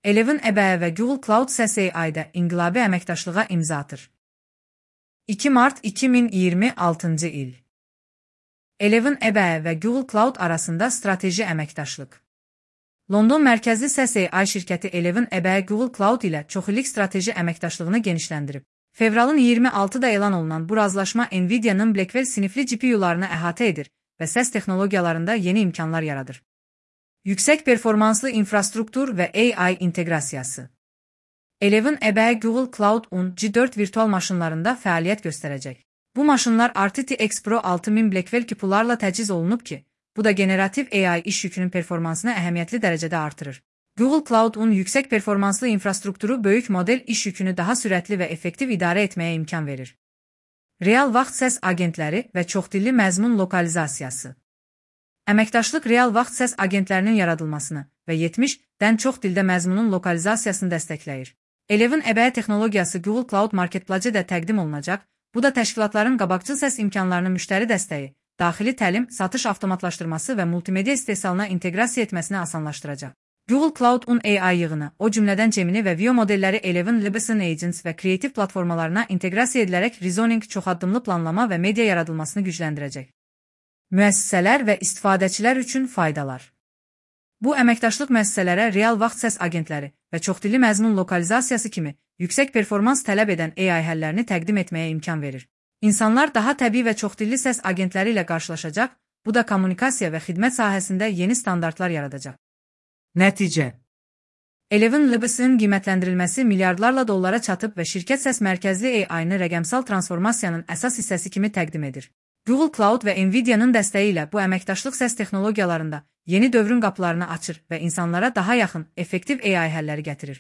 Elevin EBA və Google Cloud səs AI-da inqilabi əməkdaşlığa imza atır. 2 mart 2026-cı il. Elevin EBA və Google Cloud arasında strateji əməkdaşlıq. London mərkəzli səs AI şirkəti Elevin EBA Google Cloud ilə çoxillik strateji əməkdaşlığını genişləndirib. Fevralın 26-da elan olunan bu razılaşma Nvidia-nın Blackwell sinifli GPU-larını əhatə edir və səs texnologiyalarında yeni imkanlar yaradır. Yüksək performanslı infrastruktur və AI inteqrasiyası. Elevin EBA Google Cloud-un G4 virtual maşınlarında fəaliyyət göstərəcək. Bu maşınlar RTX Pro 6000 Blackwell GPU-larla təchiz olunub ki, bu da generativ AI iş yükünün performansını əhəmiyyətli dərəcədə artırır. Google Cloud-un yüksək performanslı infrastrukturu böyük model iş yükünü daha sürətli və effektiv idarə etməyə imkan verir. Real vaxt səs agentləri və çoxdilli məzmun lokalizasiyası. Əməkdaşlıq real vaxt səs agentlərinin yaradılmasını və 70-dən çox dildə məzmunun lokalizasiyasını dəstəkləyir. Elevin EBA texnologiyası Google Cloud Marketplace-də təqdim olunacaq, bu da təşkilatların qabaqcıl səs imkanlarını müştəri dəstəyi, daxili təlim, satış avtomatlaşdırması və multimedia istehsalına inteqrasiya etməsini asanlaşdıracaq. Google Cloud-un AI yığını, o cümlədən Gemini və Veo modelləri Elevin Libsyn Agents və kreativ platformalarına inteqrasiya edilərək rezoning, çoxaddımlı planlama və media yaradılmasını gücləndirəcək. Müəssisələr və istifadəçilər üçün faydalar. Bu əməkdaşlıq müəssisələrə real vaxt səs agentləri və çoxdilli məzmun lokalizasiyası kimi yüksək performans tələb edən AI həllərini təqdim etməyə imkan verir. İnsanlar daha təbii və çoxdilli səs agentləri ilə qarşılaşacaq, bu da kommunikasiya və xidmət sahəsində yeni standartlar yaradacaq. Nəticə. Elevin Libsyn qiymətləndirilməsi milyardlarla dollara çatıb və şirkət səs mərkəzli AI-nı rəqəmsal transformasiyanın əsas hissəsi kimi təqdim edir. Google Cloud və Nvidia-nın dəstəyi ilə bu əməkdaşlıq səs texnologiyalarında yeni dövrün qapılarını açır və insanlara daha yaxın, effektiv AI həlləri gətirir.